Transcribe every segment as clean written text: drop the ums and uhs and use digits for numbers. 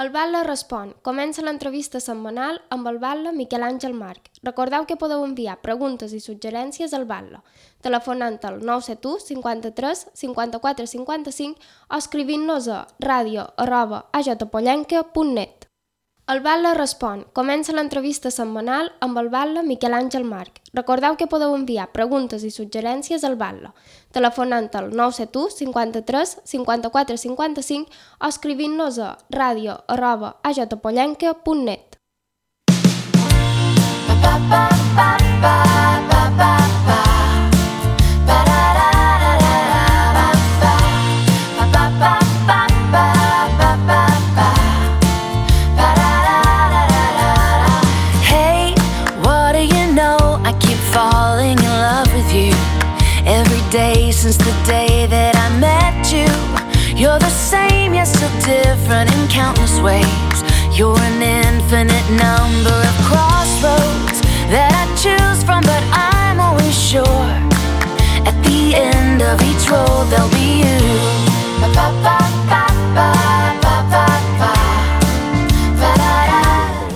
El Batlle respon. Comença l'entrevista setmanal amb el batlle Miquel Àngel Marc. Recordeu que podeu enviar preguntes i suggerències al batlle, telefonant al 971 53 54 55 o escrivint-nos a radio@ajpollenca.net. El Batlle respon. Comença l'entrevista setmanal amb el batlle Miquel Àngel Marc. Recordeu que podeu enviar preguntes i suggerències al batlle, telefonant al 971 53 54 55 o escrivint-nos a radio@ajpollenca.net. Since the day that I met you, you're the same, yet so different in countless ways. You're an infinite number of crossroads that I choose from, but I'm always sure at the end of each road there'll be you.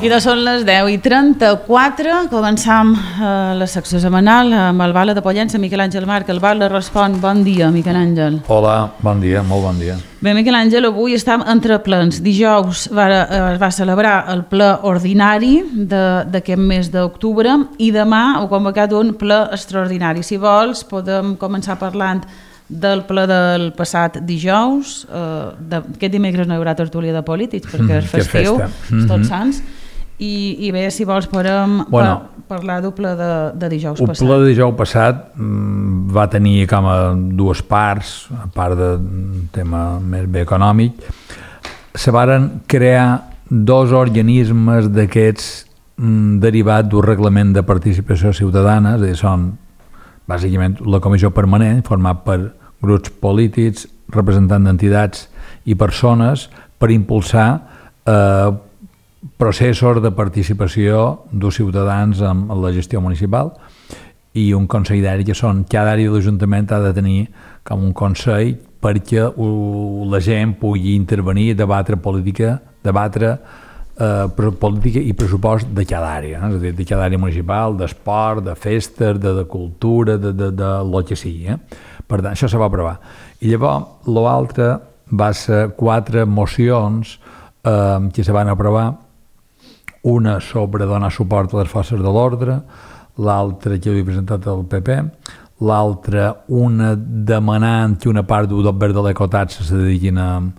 I doncs són les 10:34, començam la secció setmanal amb el Batlle de Pollença, Miquel Àngel Marc. El Batlle respon. Bon dia, Miquel Àngel. Hola, bon dia, molt bon dia. Bé, Miquel Àngel, avui estem entre plens. Dijous es va celebrar el ple ordinari d'aquest mes d'octubre i demà ha convocat un ple extraordinari. Si vols, podem començar parlant del ple del passat dijous. Aquest dimecres no hi haurà tertúlia de polítics perquè és festiu, Tots Sants. I bé, si vols podem parlar del ple de dijous passat. El ple de dijous passat va tenir com a dues parts, a part del tema més bé econòmic. Se varen crear dos organismes d'aquests derivats d'un reglament de participació ciutadana, és a dir, són bàsicament la comissió permanent, format per grups polítics, representants d'entitats i persones per impulsar processos de participació dels ciutadans en la gestió municipal, i un consell d'àrea, que són cada àrea de l'Ajuntament ha de tenir com un consell perquè la gent pugui intervenir, debatre política i pressupost de cada àrea, és a dir, de cada àrea municipal, d'esport, de festes, de cultura, de lo que sigui. Per tant, això se va aprovar. I llavors, l'altre va ser 4 mocions que se van aprovar, una sobre donar suport a les forces de l'ordre, l'altra que havia presentat el PP, l'altra una demanant que una part del verd de l'ecotaxa se dediquin a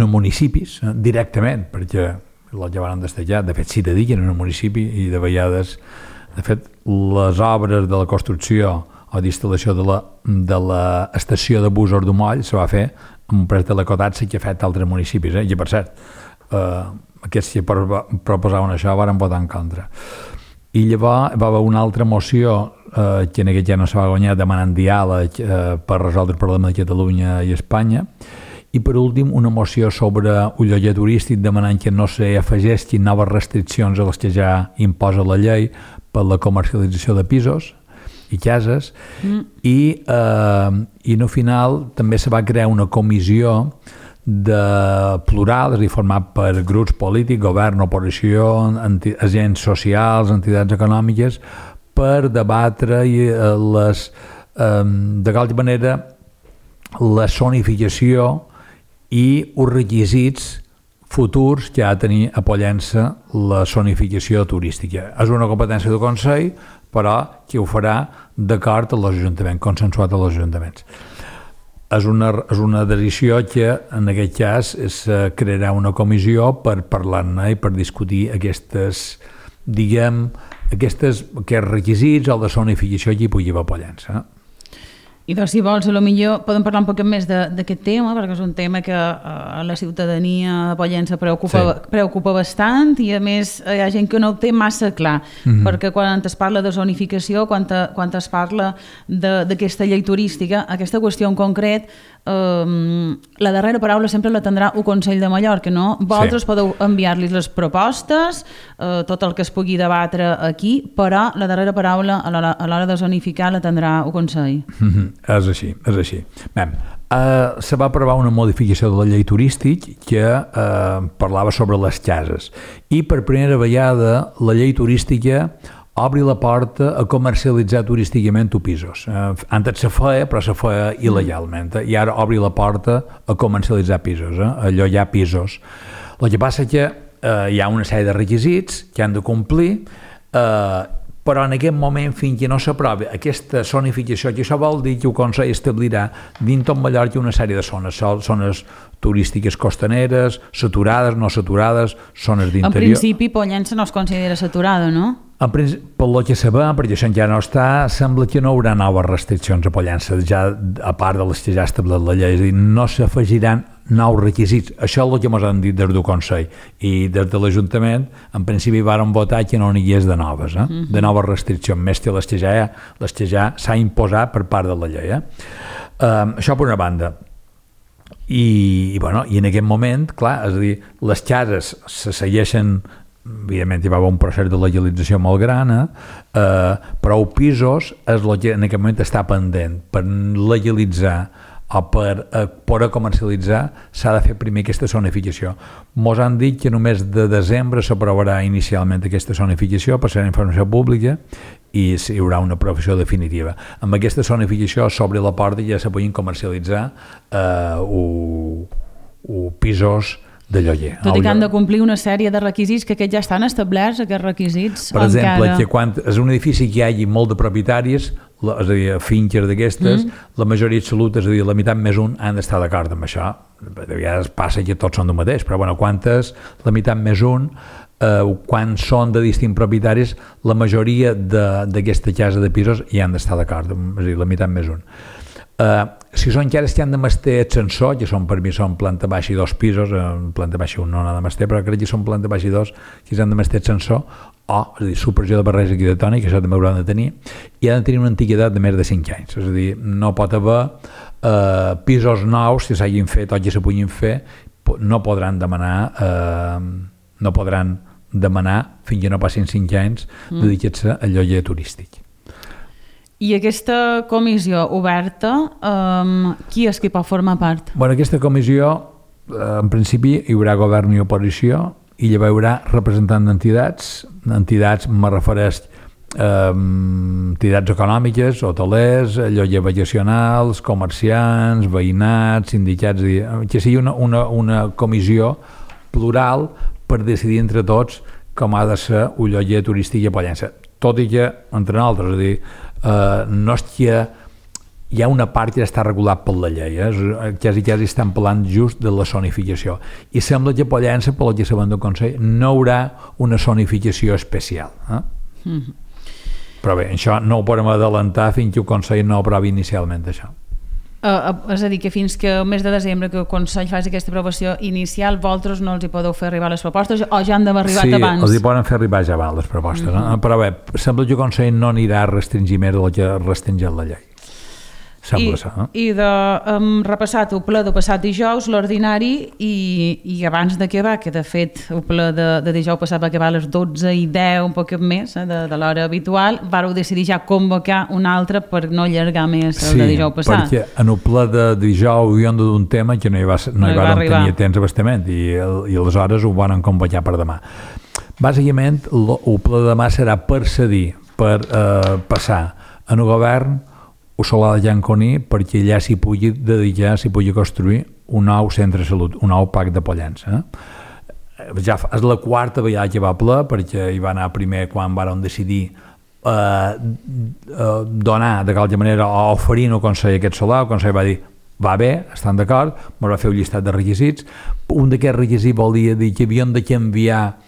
municipis directament, perquè el que van destacar, de fet s'hi dediquen a un municipi, i de vegades, de fet, les obres de la construcció o d'instal·lació de l'estació de busos d'Umoll se va fer amb un prest de l'ecotaxa que ha fet altres municipis, i per cert, aquests que proposaven això van votar en contra. I llavors va haver una altra moció que en aquest ja no se va guanyar, demanant diàleg per resoldre el problema de Catalunya i Espanya, i per últim una moció sobre un lloguer turístic demanant que no s'afegessin noves restriccions a les que ja imposa la llei per la comercialització de pisos i cases, i al final també se va crear una comissió plural, és a dir, format per grups polítics, govern, oposició, agents socials, entitats econòmiques, per debatre de qualsevol manera la zonificació i els requisits futurs que ha de tenir a Pollença la zonificació turística. És una competència del Consell, però que ho farà d'acord amb l'Ajuntament, consensuat amb els ajuntaments. És una decisió que en aquest cas es crearà una comissió per parlar-ne i per discutir aquests requisits o la zonificació que hi pugui haver a Pollença. I doncs, si vols, potser podem parlar un poc més d'aquest tema, perquè és un tema que a la ciutadania de Pollença preocupa bastant, i a més hi ha gent que no ho té massa clar, perquè quan es parla de zonificació, quan es parla d'aquesta llei turística, aquesta qüestió en concret, la darrera paraula sempre la tindrà el Consell de Mallorca, no? Vosaltres podeu enviar-los les propostes, tot el que es pugui debatre aquí, però la darrera paraula a l'hora de zonificar la tindrà el Consell. És així. Bé, se va aprovar una modificació de la llei turístic que parlava sobre les cases i per primera vegada la llei turística obri la porta a comercialitzar turísticament pisos. Antes se feia, però se feia il·legalment, i ara obri la porta a comercialitzar pisos, allò hi ha pisos. El que passa que hi ha una sèrie de requisits que han de complir, però en aquest moment, fins que no s'aprovi aquesta zonificació, que això vol dir que el Consell establirà dins tot Mallorca una sèrie de zones turístiques costaneres, saturades, no saturades, zones d'interior. En principi, Pollença no es considera saturada, no? Pel que sabem, perquè això ja no està, sembla que no hi haurà noves restriccions a Pollença, ja a part de les que ja ha establert la llei, és a dir, no s'afegiran nous requisits. Això és el que ens han dit des del Consell, i des de l'Ajuntament en principi varen votar que no n'hi hagués de noves, de noves restriccions, més que les que ja s'ha imposat per part de la llei. Això per una banda. I en aquest moment, clar, és a dir, les cases se segueixen, evidentment hi va haver un procés de legalització molt gran, però els pisos és el que en aquest moment està pendent. Per legalitzar o per poder comercialitzar s'ha de fer primer aquesta zonificació. Mos han dit que només de desembre s'aprovarà inicialment aquesta zonificació, passarà a informació pública i hi haurà una aprovació definitiva. Amb aquesta zonificació s'obre la porta i ja se poden comercialitzar pisos de lloguer. Tot i que han de complir una sèrie de requisits que aquests ja estan establerts, aquests requisits. Per exemple, que quan és un edifici que hi hagi molt de propietaris, és a dir, finques d'aquestes, la majoria absoluta, és a dir, la meitat més un, han d'estar d'acord amb això. De vegades passa que tots són del mateix, però quan és la meitat més un, quan són de distints propietaris, la majoria d'aquesta casa de pisos hi han d'estar d'acord, és a dir, la meitat més un. Si són cares que han de mester ascensor, que per mi són planta baixa i 2 pisos, planta baixa un no n'ha de mester, però crec que són planta baixa i 2 que han de mester ascensor, és a dir, supressió de barreja arquitectònica, que això també hauran de tenir, i han de tenir una antiguitat de més de 5 anys, és a dir, no pot haver pisos nous que s'hagin fet o que se puguin fer, no podran demanar fins que no passin 5 anys dedicats a lloguer turístic. I aquesta comissió oberta, qui és qui pot formar part? Aquesta comissió, en principi, hi haurà govern i oposició i hi haurà representants d'entitats, me refereix entitats econòmiques, hotelers, lloguer vacacionals, comerciants, veïnats, sindicats, que sigui una comissió plural per decidir entre tots com ha de ser un lloguer turístic a Pollença. Tot i que, entre nosaltres, és a dir, no és que hi ha una part que està regulat per la llei, quasi estan parlant just de la zonificació, i sembla que a Pollença, pel que sabem del Consell, no hi haurà una zonificació especial. Però bé, això no ho podem adelantar fins que el Consell no aprovi inicialment això. És a dir, que fins que el mes de desembre que el Consell faci aquesta aprovació inicial, vosaltres no els hi podeu fer arribar les propostes o ja han d'haver arribat abans? Sí, els hi poden fer arribar ja abans les propostes, però bé, sembla que el Consell no anirà a restringir més del que ha restringit la llei. I de repassat el ple de passat dijous, l'ordinari, i abans d'acabar, que de fet el ple de dijous passat va acabar a les 12:10, un poc més de l'hora habitual, vareu decidir ja convocar un altre per no allargar més el de dijous passat. Sí, perquè en el ple de dijous hi han de d'un tema que no hi van tenir temps abastament i aleshores ho van convocar per demà. Bàsicament, el ple de demà serà per cedir, per passar en el govern o Solà de Llanconí perquè allà s'hi pugui dedicar, s'hi pugui construir un nou centre de salut, un nou PAC de Pollença. Ja és la quarta vegada que va ple, perquè hi va anar primer quan varen decidir donar de qualque manera o oferir al Consell aquest solar. El Consell va dir va bé, estan d'acord, ens va fer un llistat de requisits. Un d'aquests requisits volia dir que havien de canviar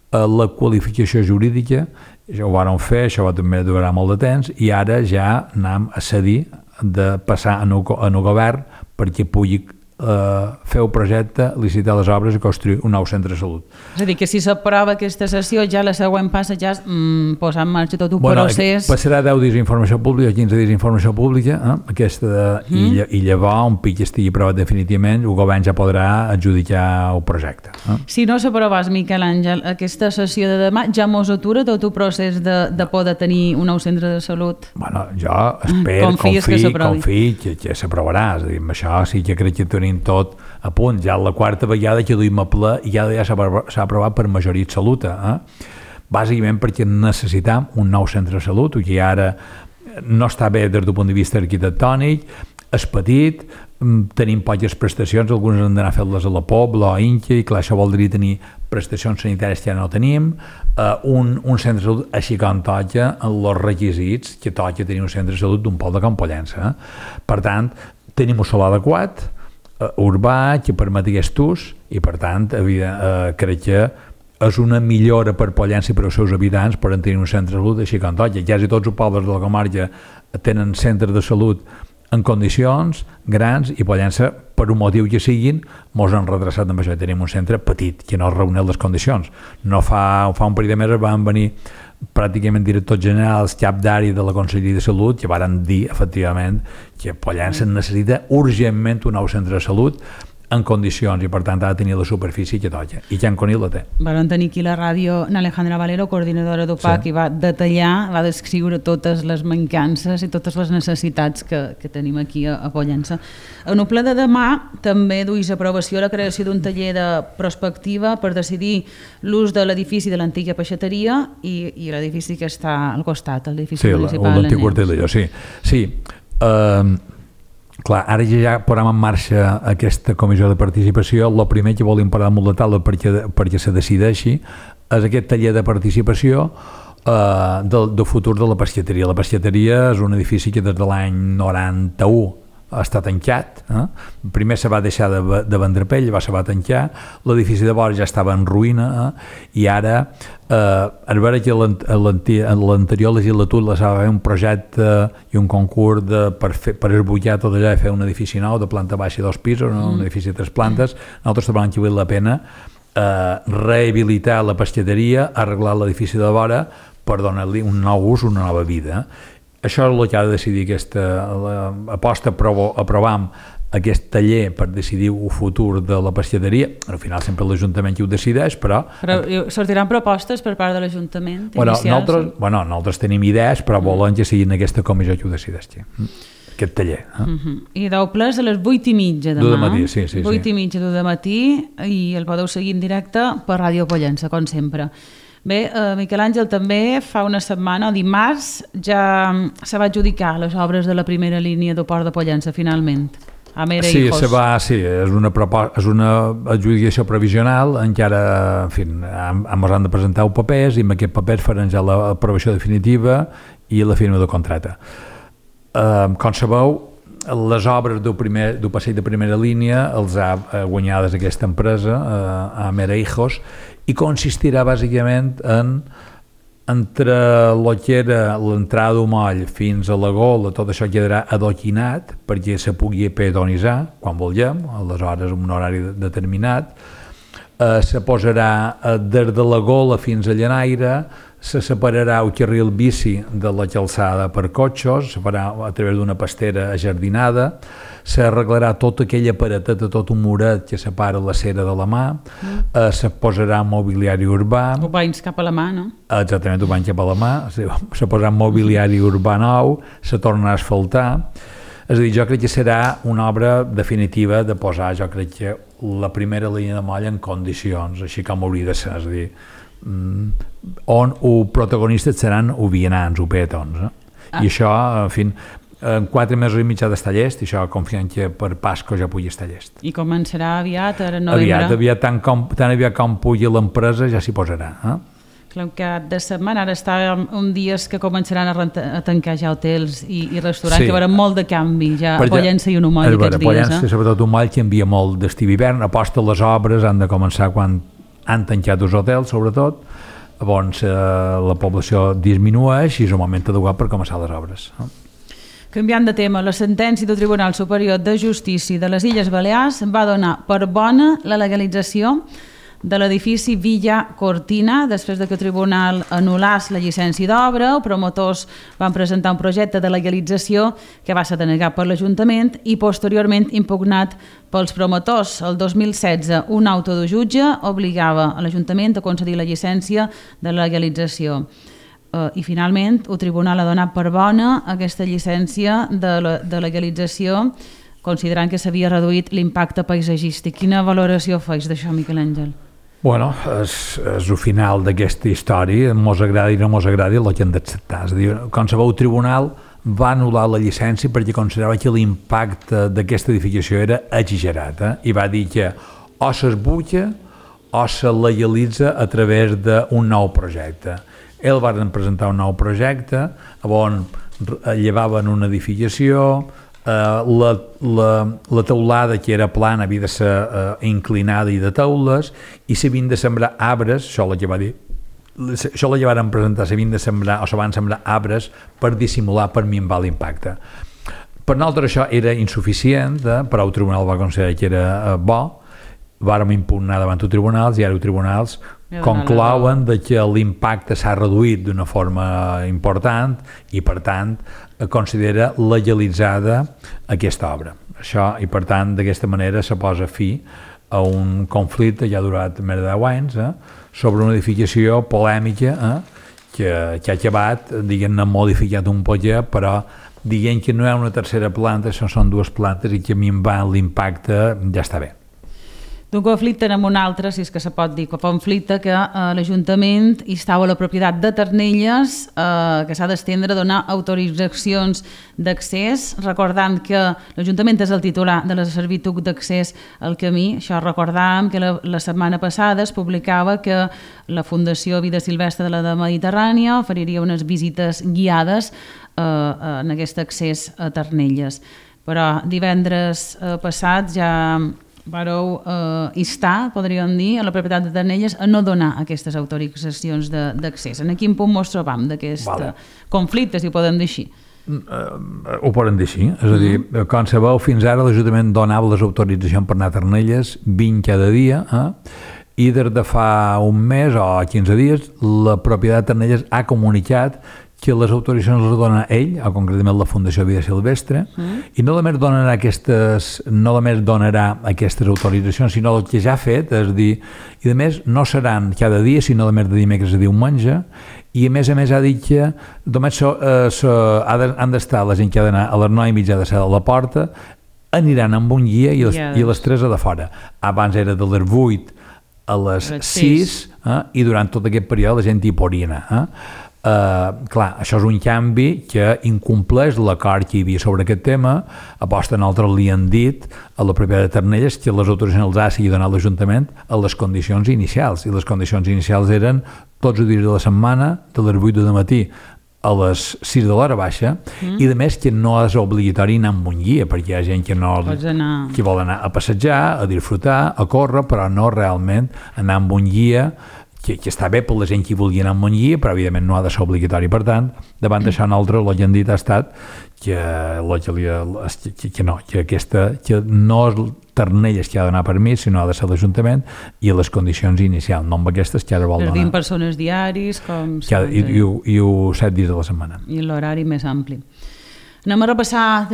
la qualificació jurídica. Això ho vàrem fer, això va també durar molt de temps, i ara ja anem a cedir de passar en el govern perquè pugui fer un projecte, licitar les obres i construir un nou centre de salut. És a dir, que si s'aprova aquesta sessió, ja la següent passa ja és posar en marxa tot un procés... Passarà 10 dies d'informació pública, 15 dies d'informació pública, i llavors, un pic estigui aprovat definitivament, el govern ja podrà adjudicar el projecte. Si no s'aprovàs, Miquel Àngel, aquesta sessió de demà ja mos atura tot el procés de poder tenir un nou centre de salut? Bueno, jo espero, confio que s'aprovarà. És a dir, amb això sí que crec que tenim tot a punt. Ja la quarta vegada que duim a ple i ja s'ha aprovat per majoria absoluta. Bàsicament perquè necessitam un nou centre de salut, que ara no està bé des del punt de vista arquitectònic, és petit, tenim poques prestacions, algunes han d'anar a fer-les a la Pobla o a Inca, i clar, això voldria tenir prestacions sanitàries que ja no tenim, un centre de salut així com toca els requisits que toca tenir un centre de salut d'un poble de Can Pollença. Per tant, tenim un solar adequat, urbà, que permet aquest ús, i per tant, crec que és una millora per Pollença i per als seus habitants per tenir un centre de salut així com toca. Quasi tots els pobles de la comarca tenen centres de salut en condicions grans, i Pollença, per un motiu que siguin, mos han retrasat amb això. Tenim un centre petit que no reuneix les condicions. No fa un parell de mesos van venir pràcticament directors generals, cap d'àrea de la Conselleria de Salut, que varen dir, efectivament, que Pollença necessita urgentment un nou centre de salut en condicions, i per tant ha de tenir la superfície que toca, i Can Conill la té. Vam tenir aquí la ràdio Alejandra Valero, coordinadora d'UPAC, i va detallar, va descriure totes les mancances i totes les necessitats que tenim aquí a Pollença. En el ple de demà també duis aprovació la creació d'un taller de prospectiva per decidir l'ús de l'edifici de l'antiga peixateria i l'edifici que està al costat, l'edifici municipal. Sí, l'antic quarter d'allò, sí. Clar, ara ja posem en marxa aquesta comissió de participació. El primer que volim parar damunt la taula perquè se decideixi és aquest taller de participació del futur de la pesqueteria. La pesqueteria és un edifici que des de l'any 91 està tancat. Primer se va deixar de vendre pell, se va tancar, l'edifici de vora ja estava en ruïna, i ara es veure que l'anterior legislatura s'ha de fer un projecte i un concurs per esbutllar tot allò i fer un edifici nou de planta baixa i 2 pisos, un edifici de 3 plantes. Nosaltres trobem que val la pena rehabilitar la pesqueteria, arreglar l'edifici de vora per donar-li un nou ús, una nova vida. Això és el que ha de decidir aquesta aposta. Aprovam aquest taller per decidir el futur de la pesqueteria. Al final sempre l'Ajuntament qui ho decideix, però sortiran propostes per part de l'Ajuntament? Nosaltres tenim idees, però volen que siguin aquesta comissió qui ho decideixi, aquest taller. I deu ple a les 8:30 demà. De matí, sí. 8:30 de matí, i el podeu seguir en directe per Ràdio Pollença, com sempre. Bé, Miquel Àngel, també fa una setmana, dimarts, ja se va adjudicar les obres de la primera línia del Port de Pollença, finalment. És una adjudicació provisional, encara, en fi, ens han de presentar els papers, i amb aquests papers faran ja l'aprovació definitiva i la firma de contracte. Com sabeu, les obres del passeig de primera línia els ha guanyades aquesta empresa, Amera Hijos, i consistirà bàsicament entre el que era l'entrada d'Omoll fins a la Gola, tot això quedarà adoquinat perquè se pugui pedonitzar quan vulguem, aleshores en un horari determinat. Se posarà des de la Gola fins a Llanaire, se separarà el carril bici de la calçada per cotxes, se farà a través d'una pastera ajardinada, s'arreglarà tota aquella pareteta, tot un muret que separa la cera de la mà, se posarà mobiliari urbà... Ho banys cap a la mà, no? Exactament, ho banys cap a la mà, se posarà mobiliari urbà nou, se tornarà a asfaltar. És a dir, jo crec que serà una obra definitiva de posar, jo crec que la primera línia de moll en condicions, així com hauria de ser, és a dir, on els protagonistes seran els vianants, els peatons. I això, en fi, en 4 mesos i mig ha d'estar llest, i això confiem que per Pasco ja pugui estar llest. I començarà aviat, ara novembre? Aviat, tan aviat com pugui l'empresa ja s'hi posarà. Clar, que de setmana, ara està un dies que començaran a tancar ja hotels i restaurants, que hi haurà molt de canvi ja a Pollença i un Omoll aquests dies. Pollença, sobretot un Omoll, que envia molt d'estiu hivern, aposta les obres han de començar quan han tancat els hotels, sobretot, llavors la població disminueix i és un moment adequat per començar les obres. Canviant de tema, la sentència del Tribunal Superior de Justícia de les Illes Balears va donar per bona la legalització de l'edifici Villa Cortina. Després de que el tribunal anul·lés la llicència d'obra, els promotors van presentar un projecte de legalització que va ser denegat per l'Ajuntament i posteriorment impugnat pels promotors. El 2016, un auto de jutge obligava a l'Ajuntament a concedir la llicència de legalització. I finalment el tribunal ha donat per bona aquesta llicència de legalització, considerant que s'havia reduït l'impacte paisatgístic. Quina valoració feix d'això, Miquel Àngel? Bueno, és el final d'aquesta història, mos agradi o no mos agradi, el que hem d'acceptar. És a dir, qualsevol tribunal va anul·lar la llicència perquè considerava que l'impacte d'aquesta edificació era exagerat, i va dir que o s'esbutlla o se legalitza a través d'un nou projecte. Ells van presentar un nou projecte on llevaven una edificació, la teulada que era plana havia de ser inclinada i de teules, i s'havien de sembrar arbres, això la llevaren presentar, s'havien de sembrar o se van sembrar arbres per dissimular, per minvar l'impacte. Per nosaltres això era insuficient, però el tribunal va considerar que era bo, vàrem impugnar davant els tribunals i ara els tribunals conclouen que l'impacte s'ha reduït d'una forma important i per tant considera legalitzada aquesta obra. Això, i per tant d'aquesta manera se posa fi a un conflicte que ha durat més de 10 anys sobre una edificació polèmica que ha acabat, diguem-ne, modificat un poquet, però diguem que no hi ha una tercera planta, són dues plantes i que minvant l'impacte ja està bé. D'un conflicte amb un altre, si és que se pot dir conflicte, que l'Ajuntament instava la propietat de Ternelles que s'ha d'estendre a donar autoritzacions d'accés, recordant que l'Ajuntament és el titular de la servitud d'accés al camí. Això recordàvem que la setmana passada es publicava que la Fundació Vida Silvestre de la Mediterrània oferiria unes visites guiades en aquest accés a Ternelles. Però divendres passat ja vareu instar, podríem dir, a la propietat de Ternelles a no donar aquestes autoritzacions d'accés. En quin punt ens trobam d'aquest conflicte, si ho podem dir així? Ho podem dir així, és a dir, com sabeu, fins ara l'Ajuntament donava les autoritzacions per anar a Ternelles 20 cada dia, i des de fa un mes o 15 dies la propietat de Ternelles ha comunicat que les autoritzacions les dona ell, o concretament la Fundació Vida Silvestre, i no només donarà aquestes autoritzacions, sinó el que ja ha fet, és dir, i a més no seran cada dia, sinó només de dimecres a diumenge, i a més ha dit que només han d'estar la gent que ha d'anar a les 9:30 de ser a la porta, aniran amb un guia i les 3 a de fora. Abans era de les 8 a les 6, i durant tot aquest període la gent hi podria anar. Clar, això és un canvi que incompleix l'acord que hi havia sobre aquest tema. Aposta nosaltres li han dit a la propietat de Ternelles que les autoritzacions els ha de donar l'Ajuntament a les condicions inicials, i les condicions inicials eren tots els dies de la setmana de les 8 del matí a les 6 de l'hora baixa, i a més que no és obligatori anar amb un guia, perquè hi ha gent que vol anar a passejar, a disfrutar, a córrer, però no realment anar amb un guia, que està bé per la gent que vulgui anar amb un guia, però evidentment no ha de ser obligatori. Per tant, davant d'això nosaltres el que hem dit ha estat que no és Ternelles que ha de donar permís, sinó ha de ser l'Ajuntament, i les condicions inicials, no amb aquestes que ara vol donar. 20 persones diaris, com... I 7 dies de la setmana. I l'horari més ampli. Anem a repassar,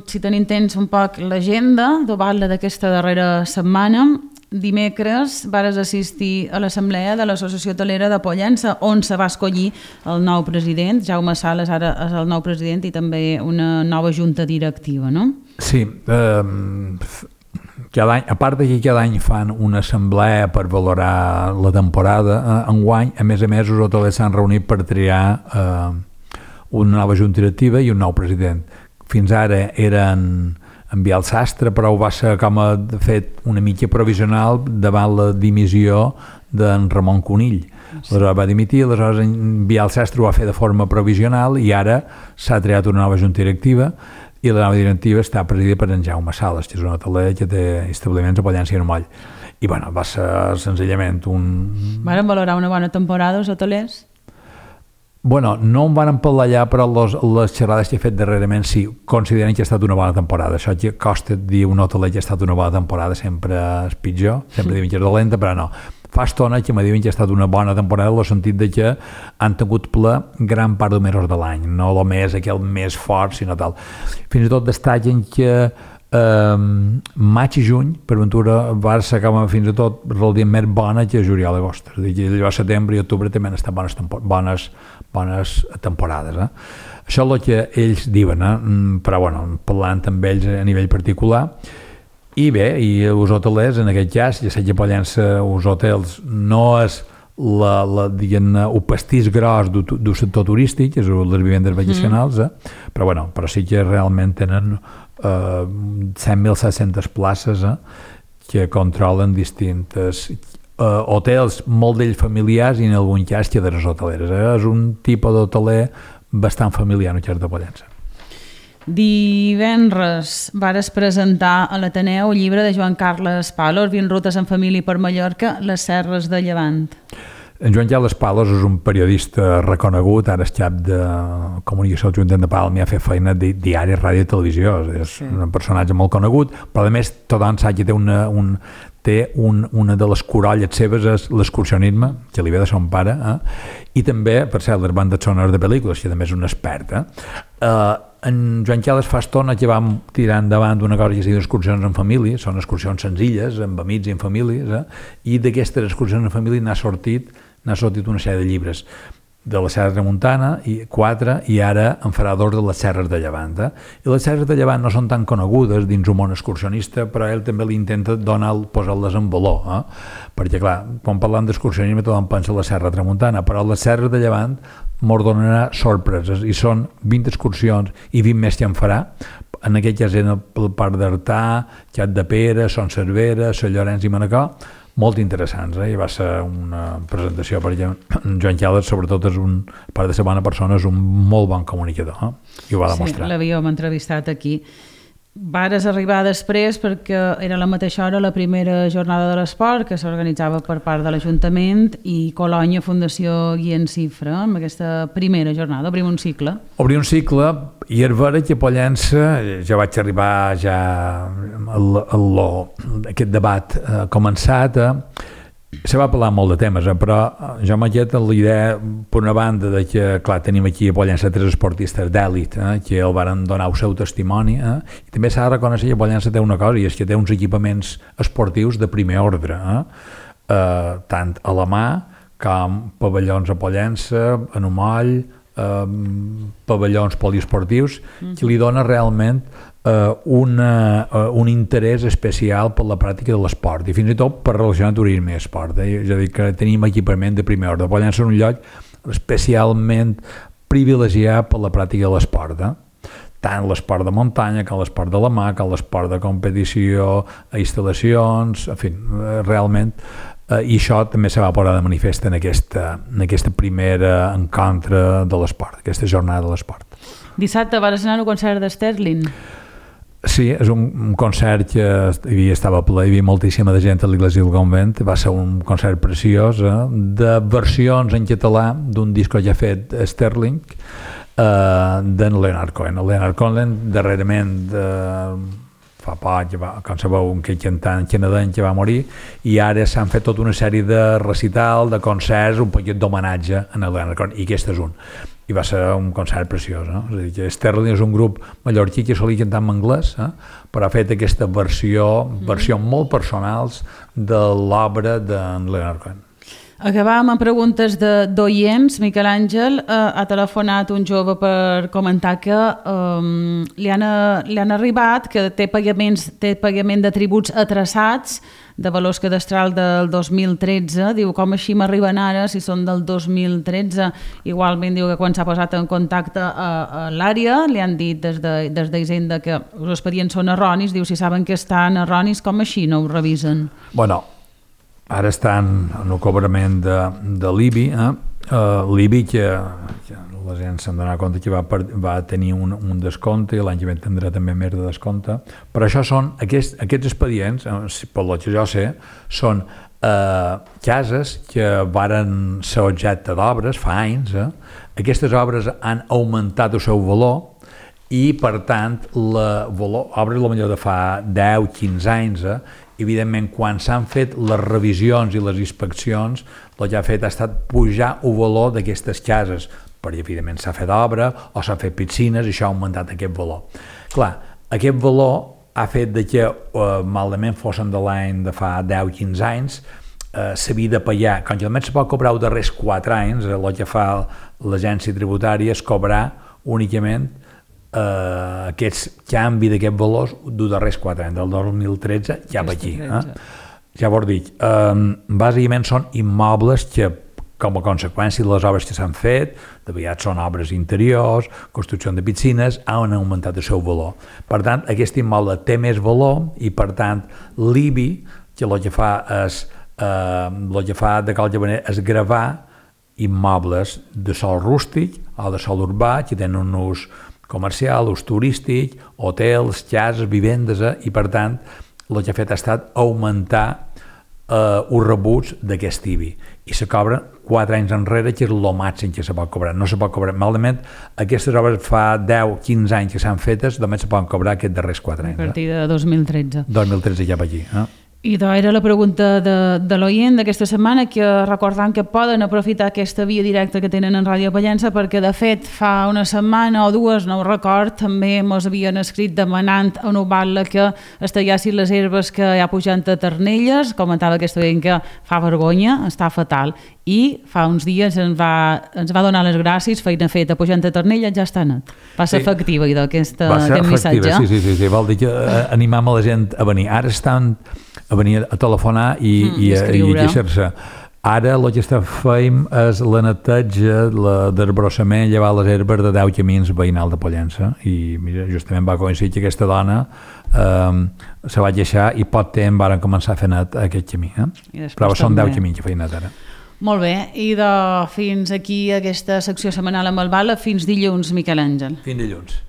si tenim temps, un poc l'agenda d'aquesta darrera setmana. Dimecres vares assistir a l'assemblea de l'Associació Hotelera de Pollença, on se va escollir el nou president. Jaume Sales ara és el nou president i també una nova junta directiva, no? Sí, cada any, a part que cada any fan una assemblea per valorar la temporada, enguany, a més, els hotelers s'han reunit per triar una nova junta directiva i un nou president. Fins ara eren enviar el sastre, però ho va ser com a fet una mica provisional davant la dimissió d'en Ramon Conill. Aleshores va dimitir, aleshores enviar el sastre ho va fer de forma provisional i ara s'ha triat una nova junta directiva i la nova directiva està presidida per en Jaume Sales, que és un hoteler que té establiments a Pollença i a Moll. I bueno, va ser senzillament un... Varen valorar una bona temporada els hotelers? Bueno, no em van empallar allà, però les xerrades que he fet darrerament sí, consideren que ha estat una bona temporada. Això que costa dir un hoteler que ha estat una bona temporada, sempre és pitjor, sempre diuen que és dolenta, però no. Fa estona que me diuen que ha estat una bona temporada en el sentit de que han tingut ple gran part dels mesos de l'any, no el mes, aquell més fort, sinó tal. Fins i tot destaquen que maig i juny, per ventura, va ser fins i tot relativament més bona que juliol i agost. És a dir, que llavors setembre i octubre també han estat bones temporades. Això és el que ells diuen, però bueno, parlant amb ells a nivell particular. I bé, i els hotelers, en aquest cas, ja sé que Pollença, els hotels, no és el pastís gros del sector turístic, és les vivendes vacacionals, però bueno, però sí que realment tenen 100.700 places que controlen distintes hotels, molt d'ells familiars i en algun cas cadenes hoteleres. És un tipus d'hoteler bastant familiar en el cas de Pollença. Divendres vares presentar a l'Ateneu el llibre de Joan Carles Palos, 20 rutes en família per Mallorca, les Serres de Llevant. En Joan Carles Palos és un periodista reconegut, ara és cap de comunicació del Ajuntament de Palma i ha fet feina de diari, ràdio i televisió, és un personatge molt conegut, però a més tothom sap que té una de les corolles seves és l'excursionisme, que li ve de son pare, i també, per cert, les bandes sonores de pel·lícules, que també és un expert. En Joan Carles fa estona que vam tirar endavant una cosa que es diu excursions en família, són excursions senzilles, amb amics i en famílies, i d'aquestes excursions en família n'ha sortit una sèrie de llibres de la Serra de Tramuntana, 4, i ara en farà 2 de les Serres de Llevant. I les Serres de Llevant no són tan conegudes dins un món excursionista, però ell també li intenta posar-les en valor, perquè clar, quan parlem d'excursionisme tothom pensa en la Serra de Tramuntana, però les Serres de Llevant mos donarà sorpreses, i són 20 excursions i 20 més que en farà, en aquest cas en el Parc d'Artà, Xat de Pere, Son Cervera, Sant Llorenç i Manacor, molt interessants, i va ser una presentació perquè Joan Carles, sobretot, a part de ser bona persona, és un molt bon comunicador, i ho va demostrar. Sí, l'havíem entrevistat aquí. Vares arribar després perquè era a la mateixa hora la primera jornada de l'esport que s'organitzava per part de l'Ajuntament i Colònia Fundació Guillem Cifra amb aquesta primera jornada, obrim un cicle. Obrir un cicle, i és vera que a Pollença ja vaig arribar aquest debat començat, se va parlar molt de temes, però jo m'he quedat la idea, per una banda, de que, clar, tenim aquí a Pollença 3 esportistes d'èlit, que el van donar el seu testimoni, i també s'ha de reconèixer que Pollença té una cosa, i és que té uns equipaments esportius de primer ordre, tant a la mà com pavellons a Pollença, en un moll, pavellons poliesportius, que li dona realment un interès especial per la pràctica de l'esport i fins i tot per relacionar turisme i esport. És a dir, que tenim equipament de primer ordre. Pollença és un lloc especialment privilegiat per la pràctica de l'esport, tant l'esport de muntanya com l'esport de la mà, com l'esport de competició, instal·lacions, en fi, realment, i això també se va posar de manifest en aquesta primera encontre de l'esport, aquesta jornada de l'esport. Dissabte vas anar a un concert d'Sterling. Sí, és un concert que estava ple, hi havia moltíssima de gent a l'Iglésia del Convent, va ser un concert preciós, de versions en català d'un disc que ja ha fet Sterling, d'en Leonard Cohen. El Leonard Cohen, darrerament, fa poc, com sabeu, un cantant canadenc que va morir, i ara s'han fet tota una sèrie de recital, de concerts, un poquet d'homenatge a Leonard Cohen, i aquest és un. I va ser un concert preciós, És a dir, que Sterling és un grup mallorquí que solia cantar en anglès, però ha fet aquesta versió molt personals de l'obra d'en Leonard Cohen. Acabàvem amb preguntes d'oients. Miquel Àngel ha telefonat un jove per comentar que li han arribat, que té pagament de tributs atrasats de valors cadastral del 2013. Diu, com així m'arriben ara si són del 2013? Igualment diu que quan s'ha posat en contacte a l'àrea li han dit des d'Hisenda que els expedients són erronis. Diu, si saben que estan erronis, com així no ho revisen? Bueno, ara estan en el cobrament de l'IBI. L'IBI, que la gent se'n donarà compte que va tenir un descompte, i l'any que ve tindrà també més de descompte. Però això són, aquests expedients, per lo que jo sé, són cases que varen ser objecte d'obres fa anys. Aquestes obres han augmentat el seu valor i, per tant, obres potser de fa 10-15 anys, evidentment, quan s'han fet les revisions i les inspeccions, el que ha fet ha estat pujar el valor d'aquestes cases, perquè, evidentment, s'ha fet obra o s'han fet piscines i això ha augmentat aquest valor. Clar, aquest valor ha fet que, malament fossin de l'any de fa 10-15 anys, s'havia de pagar, com que només se pot cobrar els darrers 4 anys, el que fa l'agència tributària és cobrar únicament aquest canvi d'aquests valors dels darrers 4 anys, del 2013 ja per aquí. Ja vos dic, bàsicament són immobles que, com a conseqüència de les obres que s'han fet, de vegades són obres interiors, construcció de piscines, han augmentat el seu valor. Per tant, aquest immoble té més valor i, per tant, l'IBI, que el que fa de qualque manera és gravar immobles de sòl rústic o de sòl urbà que tenen un ús comercial, ús turístic, hotels, cases, vivendes, i per tant el que ha fet ha estat augmentar els rebuts d'aquest IBI i se cobren 4 anys enrere, que és el màxim que se pot cobrar. No se pot cobrar, malament, aquestes obres fa 10-15 anys que s'han fetes, només se poden cobrar aquests darrers 4 anys. A partir de 2013. 2013 ja per aquí. I era la pregunta de l'oient d'aquesta setmana, que recordant que poden aprofitar aquesta via directa que tenen en Ràdio Pollença, perquè de fet fa una setmana o dues, no ho record, també ens havien escrit demanant a Noval·la que es tallessin les herbes que hi ha pujant a Ternelles. Comentava aquesta oient que fa vergonya, està fatal, i fa uns dies ens va donar les gràcies, feina feta pujant a Ternelles, ja està net. Va ser efectiva aquest missatge. Sí, vol dir que animam a la gent a venir. Ara estan a venir a telefonar i queixar-se. Ara el que fem és la neteja, d'arbrossament, llevar les herbes de 10 camins veïnal de Pollença, i mira, justament va coincidir que aquesta dona se va queixar i poc temps varen començar a fer net aquest camí. Però són 10 camins que feien net ara. Molt bé, i fins aquí aquesta secció setmanal amb el Val·la. Fins dilluns, Miquel Àngel. Fins dilluns.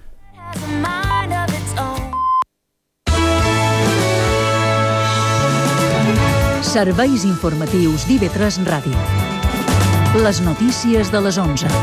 Serveis informatius d'IV3 Ràdio. Les notícies de les 11.